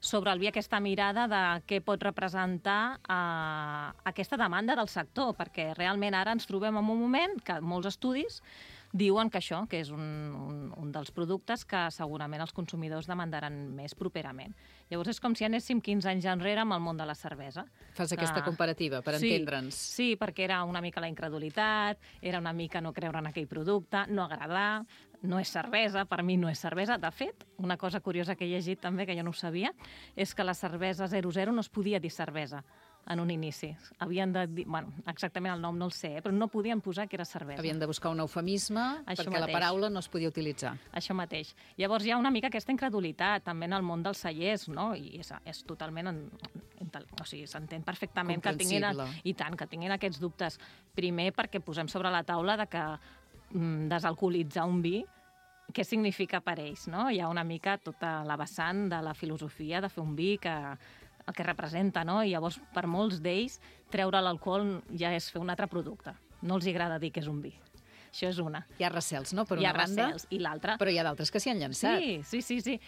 sobre el vi aquesta mirada de què pot representar eh, aquesta demanda del sector, perquè realment ara ens trobem en un moment que molts estudis diuen que això, que és un, un, un dels productes que segurament els consumidors demandaran més properament. Llavors és com si anéssim quinze anys enrere amb el món de la cervesa. Fas aquesta Ah, comparativa, per sí, entendre'ns. Sí, perquè era una mica la incredulitat, era una mica no creure en aquell producte, no agradar, no és cervesa, per mi no és cervesa. De fet, una cosa curiosa que he llegit també, que jo no ho sabia, és que la cervesa zero zero no es podia dir cervesa en un inici. Havien de dir, bueno, exactament el nom no el sé, eh, però no podien posar que era cervesa. Havien de buscar un eufemisme Això perquè la mateix. paraula no es podia utilitzar. Això mateix. Llavors hi ha una mica aquesta incredulitat també en el món dels cellers, no? I és, és totalment... En, en, o sigui, s'entén perfectament que tinguin, Comprensible. i tant, que tinguin aquests dubtes. Primer perquè posem sobre la taula de que mm, desalcoholitzar un vi, què significa per ells, no? Hi ha una mica tota la vessant de la filosofia de fer un vi que el que representa, no? I llavors, per molts d'ells, treure l'alcohol ja és fer un altre producte. No els agrada dir que és un vi. Això és una. Hi ha recels, no?, per Hi ha una banda. recels. I l'altra... Però hi ha d'altres que s'hi han llançat. Sí, sí, sí, sí.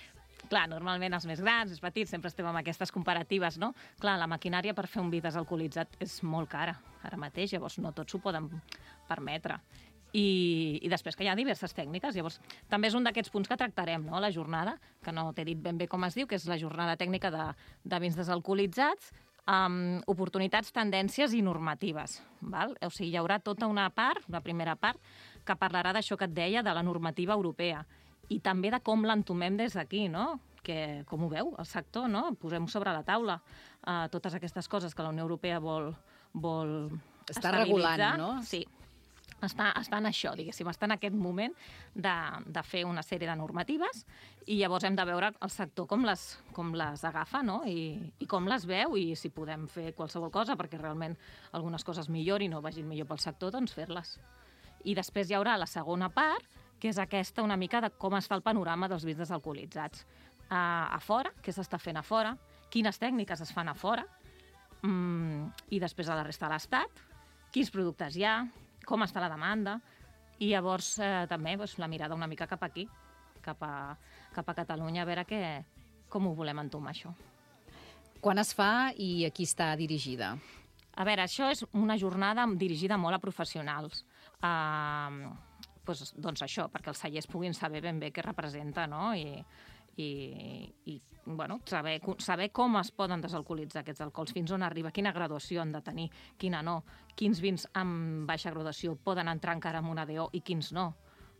Clar, normalment els més grans, els petits, sempre estem amb aquestes comparatives, no? Clar, la maquinària per fer un vi desalcoholitzat és molt cara ara mateix, llavors no tots s'ho poden permetre. I, i després que hi ha diverses tècniques. Llavors, també és un d'aquests punts que tractarem, no?, la jornada, que no t'he dit ben bé com es diu, que és la jornada tècnica de, de vins desalcoholitzats, amb oportunitats, tendències i normatives. Val? O sigui, hi haurà tota una part, una primera part, que parlarà d'això que et deia, de la normativa europea, i també de com l'entomem des d'aquí, no?, que, com ho veu el sector, no? Posem sobre la taula uh, totes aquestes coses que la Unió Europea vol, vol Està estabilitzar. regulant, no? Sí. Està, està en això, diguéssim, està en aquest moment de, de fer una sèrie de normatives i llavors hem de veure el sector com les, com les agafa, no?, I, i com les veu i si podem fer qualsevol cosa perquè realment algunes coses millorin o vagin millor pel sector, doncs fer-les. I després hi haurà la segona part, que és aquesta una mica de com està el panorama dels vins desalcoholitzats. A, a fora, què s'està fent a fora, quines tècniques es fan a fora, mm, i després a la resta de l'Estat, quins productes hi ha, com està la demanda, i llavors eh, també doncs, la mirada una mica cap aquí, cap a, cap a Catalunya, a veure què, com ho volem entomar, això. Quan es fa i a qui està dirigida? A veure, això és una jornada dirigida molt a professionals. Uh, doncs, doncs això, perquè els cellers puguin saber ben bé què representa, no?, i, i, i bueno, saber, saber com es poden desalcoholitzar aquests alcohols, fins on arriba, quina graduació han de tenir, quina no, quins vins amb baixa graduació poden entrar encara en una D O i quins no.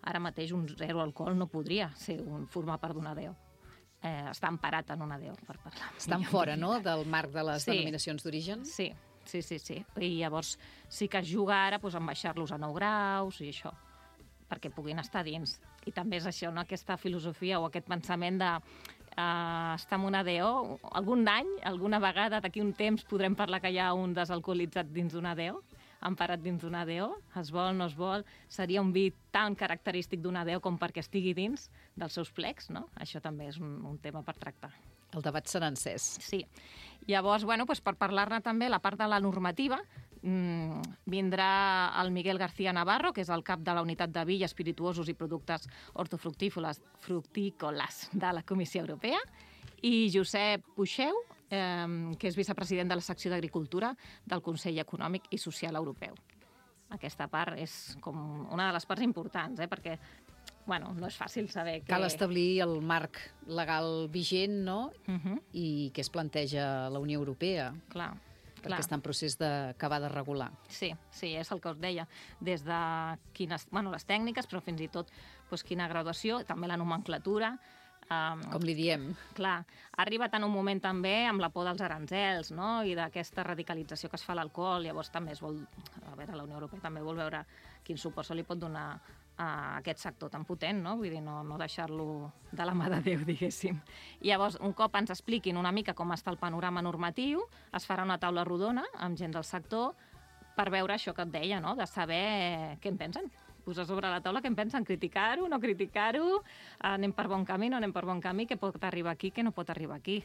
Ara mateix un zero alcohol no podria ser un, formar part d'una D O. Eh, està emparat en una D O, per parlar. Estan fora, no?, del marc de les Sí. denominacions d'origen? Sí, sí, sí, sí. I llavors sí que es juga ara doncs, en baixar-los a nou graus i això, perquè puguin estar dins. I també és això, no? Aquesta filosofia o aquest pensament de uh, estar en una D O. Algun any, alguna vegada, d'aquí un temps, podrem parlar que hi ha un desalcoholitzat dins d'una D O, emparat dins d'una D O, es vol, no es vol, seria un vi tan característic d'una D O com perquè estigui dins dels seus plecs, no? Això també és un, un tema per tractar. El debat serà encès. Sí. Llavors, bueno, doncs per parlar-ne també, la part de la normativa, mmm, vindrà el Miguel García Navarro, que és el cap de la unitat de vi, espirituosos i productes hortofructícoles fructícoles de la Comissió Europea, i Josep Puixeu, eh, que és vicepresident de la secció d'Agricultura del Consell Econòmic i Social Europeu. Aquesta part és com una de les parts importants, eh, perquè bueno, no és fàcil saber que... Cal establir el marc legal vigent, no? Uh -huh. I què es planteja la Unió Europea. Clar, perquè clar. està en procés d'acabar de regular. Sí, sí, és el que us deia. Des de quines, bueno, les tècniques, però fins i tot doncs, quina graduació, també la nomenclatura. Um, Com li diem. Clar, ha arribat en un moment també amb la por dels aranzels, no?, i d'aquesta radicalització que es fa a l'alcohol. Llavors també es vol... A veure, la Unió Europea també vol veure quin suport se li pot donar a aquest sector tan potent, no? Vull dir, no, no deixar-lo de la mà de Déu, diguéssim. I llavors, un cop ens expliquin una mica com està el panorama normatiu, es farà una taula rodona amb gent del sector per veure això que et deia, no?, de saber què en pensen. Posar sobre la taula què en pensen, criticar-ho, no criticar-ho, anem per bon camí, no anem per bon camí, què pot arribar aquí, què no pot arribar aquí.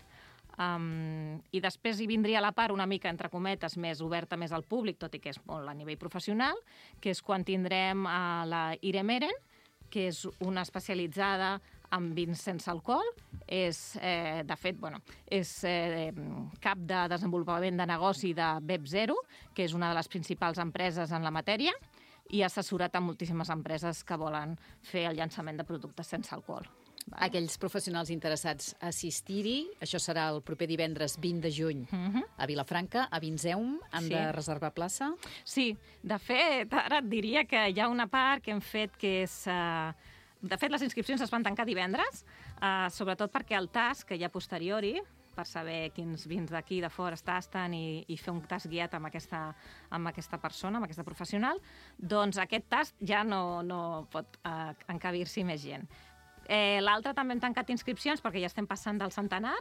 Um, I després hi vindria la part una mica, entre cometes, més oberta més al públic, tot i que és molt a nivell professional, que és quan tindrem uh, la Irem Eren, que és una especialitzada en vins sense alcohol. És, eh, de fet, bueno, és eh, cap de desenvolupament de negoci de B E P Zero, que és una de les principals empreses en la matèria, i ha assessorat a moltíssimes empreses que volen fer el llançament de productes sense alcohol. Aquells professionals interessats a assistir-hi, això serà el proper divendres vint de juny Uh -huh. a Vilafranca, a Vinseum. Han Sí. de reservar plaça? Sí, de fet, ara et diria que hi ha una part que hem fet que és... Uh, de fet, les inscripcions es van tancar divendres, uh, sobretot perquè el tast, que hi ha posteriori, per saber quins vins d'aquí de fora es tasten i, i fer un tast guiat amb aquesta, amb aquesta persona, amb aquesta professional, doncs aquest tast ja no, no pot uh, encabir-s'hi més gent. Eh, L'altre també hem tancat inscripcions perquè ja estem passant del centenar,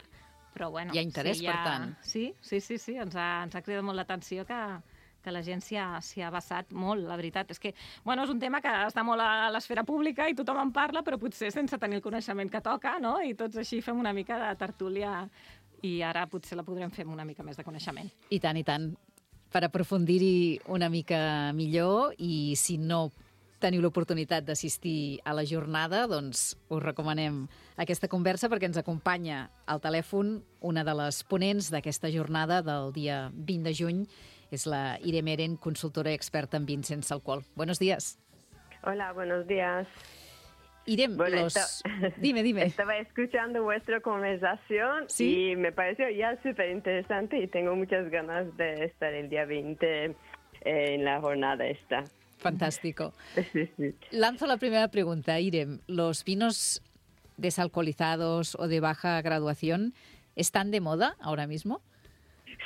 però bueno... Hi ha interès, sí, ja... per tant. Sí, sí, sí, sí. Ens, ha, ens ha cridat molt l'atenció que, que la gent s'hi ha, s'hi ha basat molt, la veritat. És que, bueno, és un tema que està molt a l'esfera pública i tothom en parla, però potser sense tenir el coneixement que toca, no? I tots així fem una mica de tertúlia i ara potser la podrem fer amb una mica més de coneixement. I tant, i tant. Per aprofundir-hi una mica millor, i si no teniu l'oportunitat d'assistir a la jornada, doncs us recomanem aquesta conversa perquè ens acompanya al telèfon una de les ponents d'aquesta jornada del dia vint de juny. És la Irem Eren, consultora i experta en vins sense alcohol. Buenos días. Hola, buenos días. Irem, Bueno, los... esta- Dime, dime. Estaba escuchando vuestra conversación ¿Sí? y me pareció ya súper interesante y tengo muchas ganas de estar el día veinte eh, en la jornada esta. Fantástico. Sí, sí. Lanzo la primera pregunta, Irem. ¿Los vinos desalcoholizados o de baja graduación están de moda ahora mismo?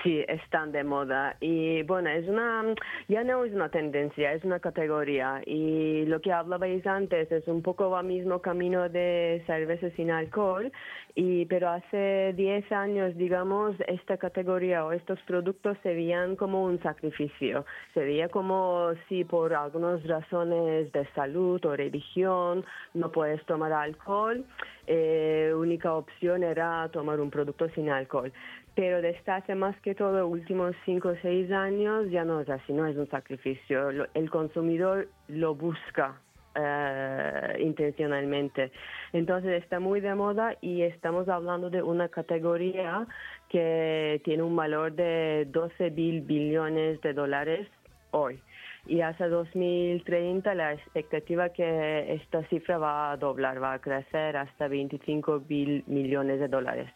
Sí, están de moda y bueno, es una, ya no es una tendencia, es una categoría y lo que hablabais antes es un poco el mismo camino de cerveza sin alcohol, y, pero hace diez años, digamos, esta categoría o estos productos se veían como un sacrificio, se veía como si por algunas razones de salud o religión no puedes tomar alcohol, eh, única opción era tomar un producto sin alcohol. Pero desde hace más que todo los últimos cinco o seis años ya no es así, no es un sacrificio. Lo, el consumidor lo busca eh, intencionalmente. Entonces está muy de moda y estamos hablando de una categoría que tiene un valor de doce mil billones de dólares hoy. Y hasta dos mil treinta la expectativa es que esta cifra va a doblar, va a crecer hasta veinticinco mil millones de dólares.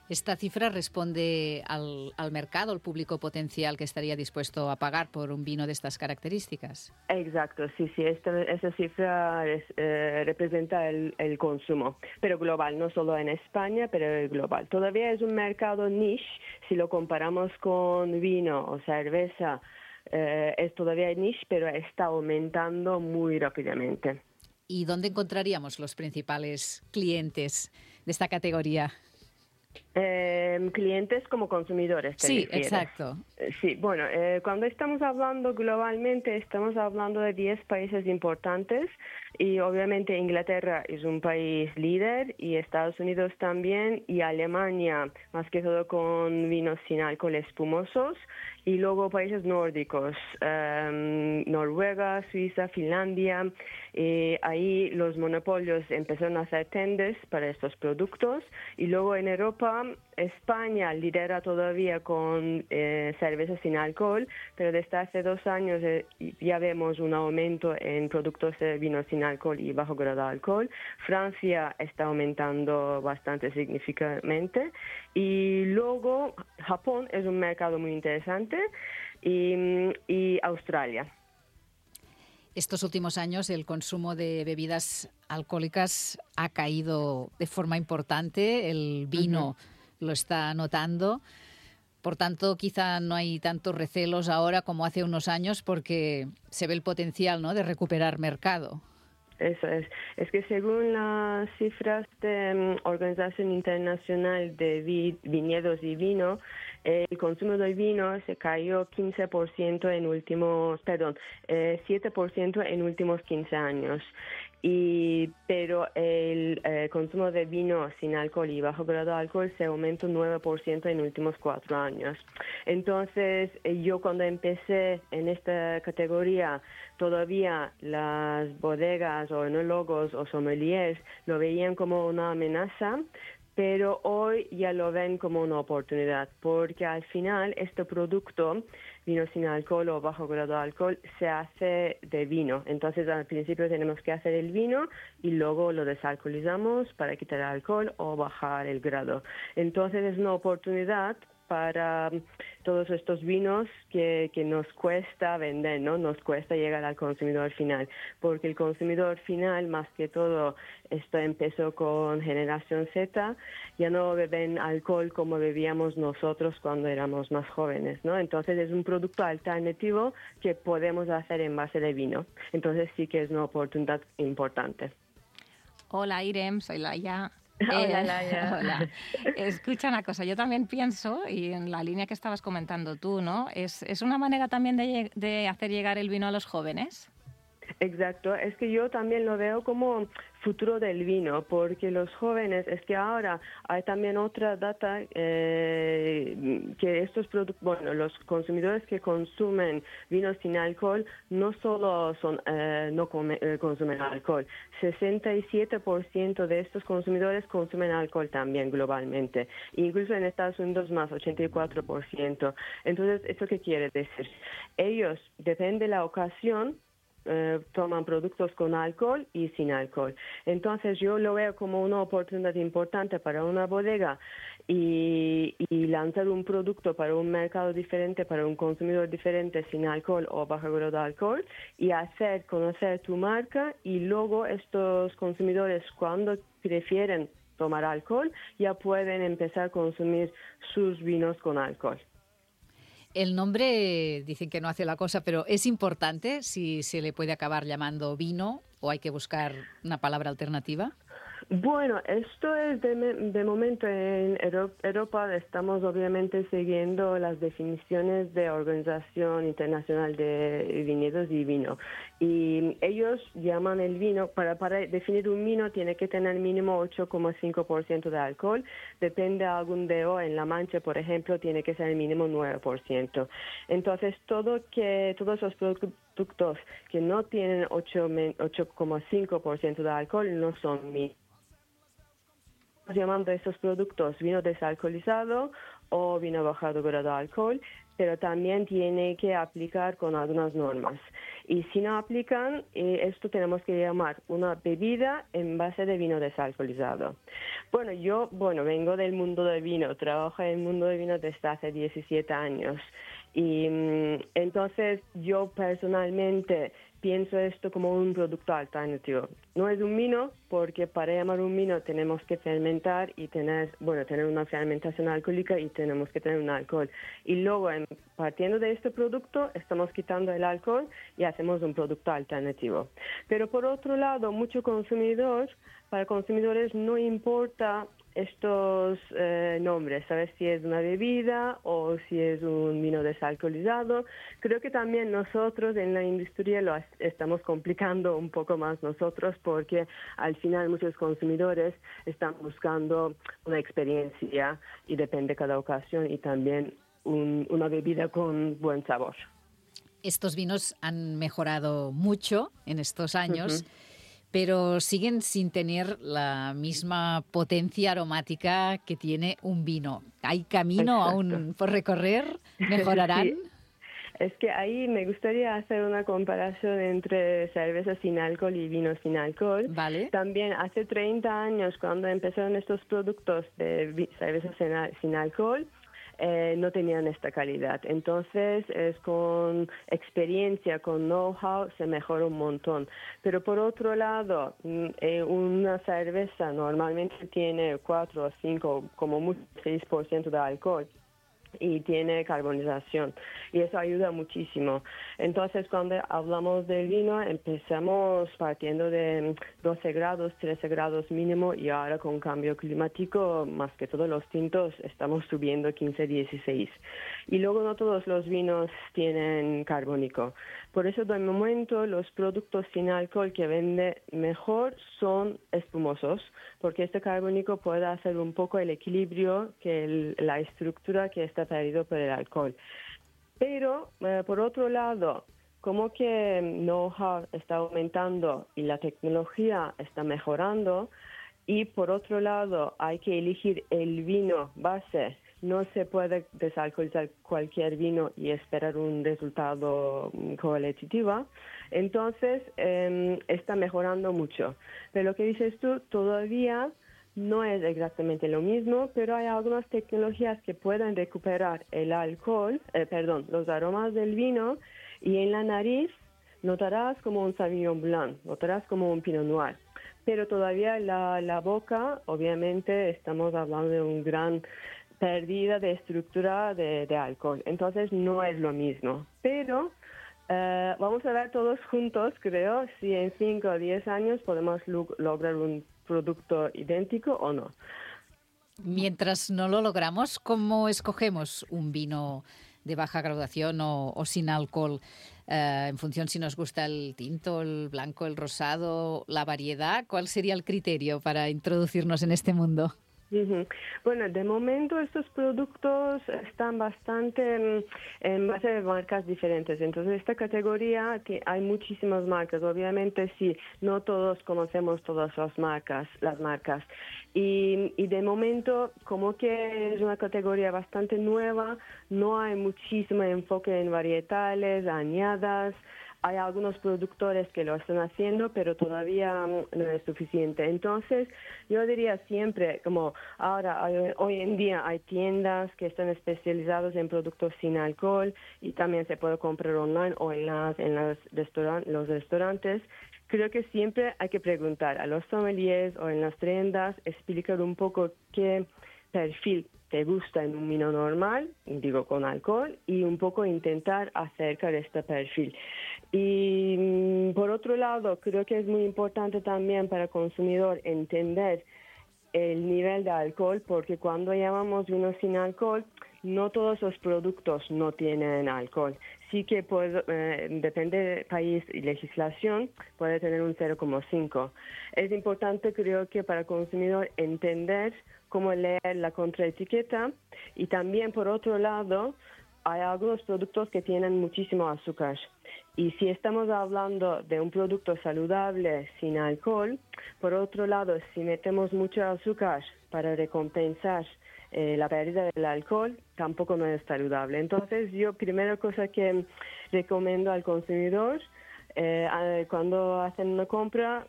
¿Esta cifra responde al, al mercado, al público potencial que estaría dispuesto a pagar por un vino de estas características? Exacto, sí, sí, esta, esta cifra es, eh, representa el, el consumo, pero global, no solo en España, pero global. Todavía es un mercado niche, si lo comparamos con vino o cerveza, eh, es todavía niche, pero está aumentando muy rápidamente. ¿Y dónde encontraríamos los principales clientes de esta categoría? Eh, clientes como consumidores, ¿te Sí, refieres? exacto. Eh, Sí, bueno, eh, cuando estamos hablando globalmente, estamos hablando de diez países importantes y obviamente Inglaterra es un país líder y Estados Unidos también y Alemania, más que todo con vinos sin alcohol espumosos, y luego países nórdicos, eh, Noruega, Suiza, Finlandia. Eh, ahí los monopolios empezaron a hacer tenders para estos productos y luego en Europa España lidera todavía con eh, cerveza sin alcohol, pero desde hace dos años eh, ya vemos un aumento en productos de vino sin alcohol y bajo grado de alcohol. Francia está aumentando bastante significativamente y luego Japón es un mercado muy interesante y, y Australia. Estos últimos años el consumo de bebidas alcohólicas ha caído de forma importante, el vino uh-huh. lo está notando, por tanto quizá no hay tantos recelos ahora como hace unos años porque se ve el potencial, ¿no?, de recuperar mercado. Eso es. Es que según las cifras de um, Organización Internacional de Vi- Viñedos y Vino, el consumo de vino se cayó quince por ciento en últimos, perdón, eh, siete por ciento en últimos quince años. Y, pero el eh, consumo de vino sin alcohol y bajo grado de alcohol se aumentó nueve por ciento en últimos cuatro años. Entonces, eh, yo cuando empecé en esta categoría, todavía las bodegas o enólogos o sommeliers lo veían como una amenaza, pero hoy ya lo ven como una oportunidad, porque al final este producto, vino sin alcohol o bajo grado de alcohol, se hace de vino. Entonces al principio tenemos que hacer el vino y luego lo desalcoholizamos para quitar el alcohol o bajar el grado. Entonces es una oportunidad para todos estos vinos que, que nos cuesta vender, ¿no? Nos cuesta llegar al consumidor final, porque el consumidor final, más que todo, esto empezó con Generación Z, ya no beben alcohol como bebíamos nosotros cuando éramos más jóvenes, ¿no? Entonces es un producto alternativo que podemos hacer en base de vino. Entonces sí que es una oportunidad importante. Hola, Irem, soy Laia. Hola, Eh, Laia. Hola. Escucha una cosa, yo también pienso, y en la línea que estabas comentando tú, ¿no? ¿Es, es una manera también de, de hacer llegar el vino a los jóvenes? Exacto, es que yo también lo veo como futuro del vino, porque los jóvenes, es que ahora hay también otra data eh, que estos productos, bueno, los consumidores que consumen vino sin alcohol no solo son eh, no come, eh, consumen alcohol, sesenta y siete por ciento de estos consumidores consumen alcohol también globalmente, incluso en Estados Unidos más, ochenta y cuatro por ciento. Entonces, ¿eso qué quiere decir? Ellos, depende de la ocasión, Eh, toman productos con alcohol y sin alcohol. Entonces yo lo veo como una oportunidad importante para una bodega y, y lanzar un producto para un mercado diferente, para un consumidor diferente sin alcohol o bajo grado de alcohol y hacer conocer tu marca y luego estos consumidores cuando prefieren tomar alcohol ya pueden empezar a consumir sus vinos con alcohol. El nombre dicen que no hace la cosa, pero ¿es importante si se le puede acabar llamando vino o hay que buscar una palabra alternativa? Bueno, esto es de, de momento en Europa estamos obviamente siguiendo las definiciones de Organización Internacional de Viñedos y Vino y ellos llaman el vino, para, para definir un vino tiene que tener mínimo ocho coma cinco por ciento de alcohol, depende de algún D O en la mancha, por ejemplo, tiene que ser mínimo nueve por ciento. Entonces, todo que, todos los productos que no tienen ocho coma cinco por ciento de alcohol no son vinos. Llamando a estos productos vino desalcoholizado o vino bajado grado de alcohol, pero también tiene que aplicar con algunas normas. Y si no aplican, eh, esto tenemos que llamar una bebida en base de vino desalcoholizado. Bueno, yo bueno vengo del mundo del vino, trabajo en el mundo del vino desde hace diecisiete años. Y entonces yo personalmente pienso esto como un producto alternativo. No es un vino porque para llamar un vino tenemos que fermentar y tener, bueno, tener una fermentación alcohólica y tenemos que tener un alcohol. Y luego, en, partiendo de este producto, estamos quitando el alcohol y hacemos un producto alternativo. Pero por otro lado, mucho consumidor, para consumidores no importa estos eh, nombres, ¿sabes? Si es una bebida o si es un vino desalcoholizado. Creo que también nosotros en la industria lo estamos complicando un poco más nosotros, porque al final muchos consumidores están buscando una experiencia y depende de cada ocasión y también un, una bebida con buen sabor. Estos vinos han mejorado mucho en estos años. Uh-huh. Pero siguen sin tener la misma potencia aromática que tiene un vino. ¿Hay camino Exacto. aún por recorrer? ¿Mejorarán? Sí. Es que ahí me gustaría hacer una comparación entre cerveza sin alcohol y vino sin alcohol. Vale. También hace treinta años, cuando empezaron estos productos de cerveza sin, sin alcohol, Eh, no tenían esta calidad. Entonces, es con experiencia, con know-how, se mejora un montón. Pero por otro lado, eh, una cerveza normalmente tiene cuatro o cinco, como mucho seis por ciento de alcohol. Y tiene carbonización y eso ayuda muchísimo. Entonces, cuando hablamos del vino, empezamos partiendo de doce grados, trece grados mínimo y ahora con cambio climático, más que todos los tintos, estamos subiendo quince, dieciséis. Y luego no todos los vinos tienen carbónico. Por eso, de momento, los productos sin alcohol que vende mejor son espumosos, porque este carbónico puede hacer un poco el equilibrio, que el, la estructura que está perdido por el alcohol. Pero, eh, por otro lado, como que know-how está aumentando y la tecnología está mejorando, y por otro lado hay que elegir el vino base. No se puede desalcoholizar cualquier vino y esperar un resultado cualitativo. Entonces, eh, está mejorando mucho. Pero lo que dices tú, todavía no es exactamente lo mismo, pero hay algunas tecnologías que pueden recuperar el alcohol, eh, perdón, los aromas del vino, y en la nariz notarás como un Sauvignon Blanc, notarás como un Pinot Noir. Pero todavía la, la boca, obviamente, estamos hablando de un gran pérdida de estructura de, de alcohol. Entonces no es lo mismo. Pero eh, vamos a ver todos juntos, creo, si en cinco o diez años podemos lo- lograr un producto idéntico o no. Mientras no lo logramos, ¿cómo escogemos un vino de baja graduación o, o sin alcohol? Eh, en función si nos gusta el tinto, el blanco, el rosado, la variedad, ¿cuál sería el criterio para introducirnos en este mundo? Uh-huh. Bueno, de momento estos productos están bastante mm, en base de marcas diferentes. Entonces, esta categoría que hay muchísimas marcas. Obviamente, sí, no todos conocemos todas las marcas, las marcas. Y, y de momento, como que es una categoría bastante nueva, no hay muchísimo enfoque en varietales, añadas. Hay algunos productores que lo están haciendo, pero todavía no es suficiente. Entonces, yo diría siempre, como ahora, hay, hoy en día hay tiendas que están especializadas en productos sin alcohol y también se puede comprar online o en, las, en las restauran- los restaurantes. Creo que siempre hay que preguntar a los sommeliers o en las tiendas, explicar un poco qué perfil te gusta en un vino normal, digo con alcohol, y un poco intentar acercar este perfil. Y por otro lado, creo que es muy importante también para el consumidor entender el nivel de alcohol, porque cuando llamamos vino sin alcohol, no todos los productos no tienen alcohol. Sí que puede, eh, depende del país y legislación, puede tener un cero coma cinco. Es importante, creo que para el consumidor entender cómo leer la contraetiqueta, y también por otro lado hay algunos productos que tienen muchísimo azúcar. Y si estamos hablando de un producto saludable sin alcohol, por otro lado, si metemos mucho azúcar para recompensar eh, la pérdida del alcohol, tampoco no es saludable. Entonces, yo, primera cosa que recomiendo al consumidor, eh, cuando hacen una compra,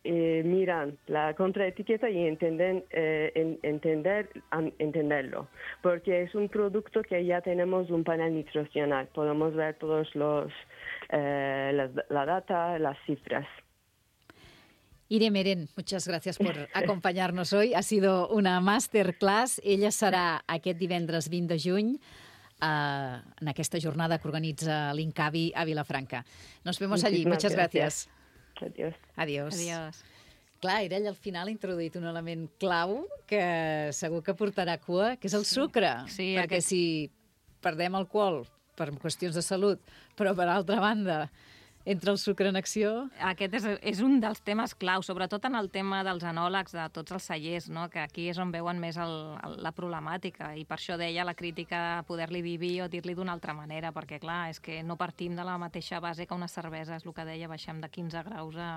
Eh, miran la contraetiqueta y entienden, eh, en, entender, an, entenderlo, porque es un producto que ya tenemos un panel nutricional, podemos ver todos los eh, las, la data, las cifras. Irene Meren, muchas gracias por acompañarnos hoy. Ha sido una masterclass. Ella serà aquest divendres vint de juny eh, en aquesta jornada que organitza l'Incavi a Vilafranca. Nos vemos allí. Muchas gracias. Adiós. Adiós. Adiós. Clar, era ell al final ha introduït un element clau que segur que portarà cua, que és el sucre. Sí, perquè aquest... si perdem alcohol per qüestions de salut, però per altra banda entra el sucre en acció... Aquest és, és un dels temes clau, sobretot en el tema dels enòlegs, de tots els cellers, no? Que aquí és on veuen més el, el, la problemàtica, i per això deia la crítica de poder-li vivir o dir-li d'una altra manera, perquè clar, és que no partim de la mateixa base que una cervesa, és el que deia, baixem de quinze graus a,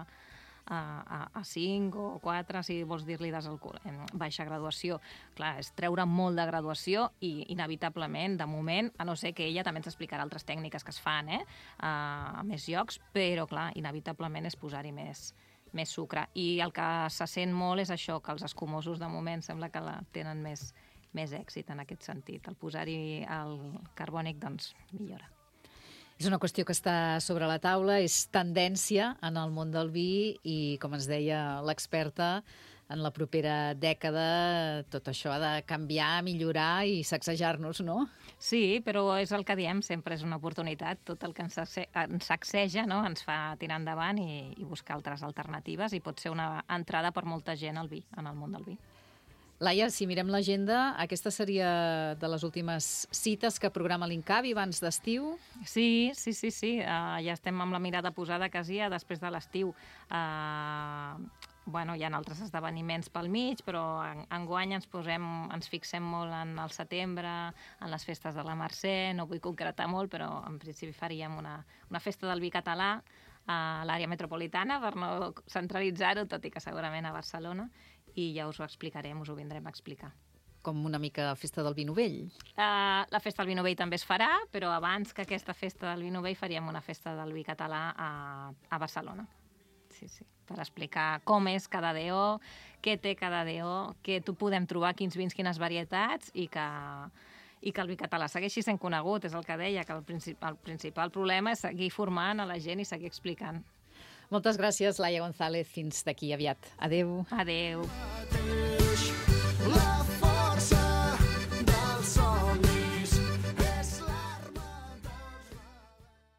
a, a, a cinc o quatre, si vols dir-li desalcohol, en baixa graduació. Clar, és treure molt de graduació i inevitablement, de moment, a no ser que ella també ens explicarà altres tècniques que es fan, eh? a, a més llocs, però clar, inevitablement és posar-hi més, més sucre. I el que se sent molt és això, que els escumosos de moment sembla que la tenen més, més èxit en aquest sentit. El posar-hi el carbònic, doncs, millora. És una qüestió que està sobre la taula, és tendència en el món del vi i, com ens deia l'experta, en la propera dècada tot això ha de canviar, millorar i sacsejar-nos, no? Sí, però és el que diem, sempre és una oportunitat. Tot el que ens, ens sacseja, no? Ens fa tirar endavant i, i buscar altres alternatives, i pot ser una entrada per molta gent al vi, en el món del vi. Laia, si mirem l'agenda, aquesta seria de les últimes cites que programa l'Incavi abans d'estiu? Sí, sí, sí, sí. Uh, ja estem amb la mirada posada quasi a després de l'estiu. Uh, bueno, hi ha altres esdeveniments pel mig, però en, enguany ens posem, ens fixem molt en el setembre, en les festes de la Mercè, no vull concretar molt, però en principi faríem una, una festa del vi català a l'àrea metropolitana per no centralitzar-ho, tot i que segurament a Barcelona, i ja us ho explicarem, us ho vindrem a explicar. Com una mica festa del vi novell? Uh, la festa del vi novell també es farà, però abans que aquesta festa del vi novell faríem una festa del vi català a, a Barcelona. Sí, sí, per explicar com és cada D O, què té cada D O, què tu podem trobar, quins vins, quines varietats, i que, i que el vi català segueixi sent conegut. És el que deia, que el, princip el principal problema és seguir formant a la gent i seguir explicant. Moltes gràcies, Laia González. Fins d'aquí aviat. Adéu. Adéu.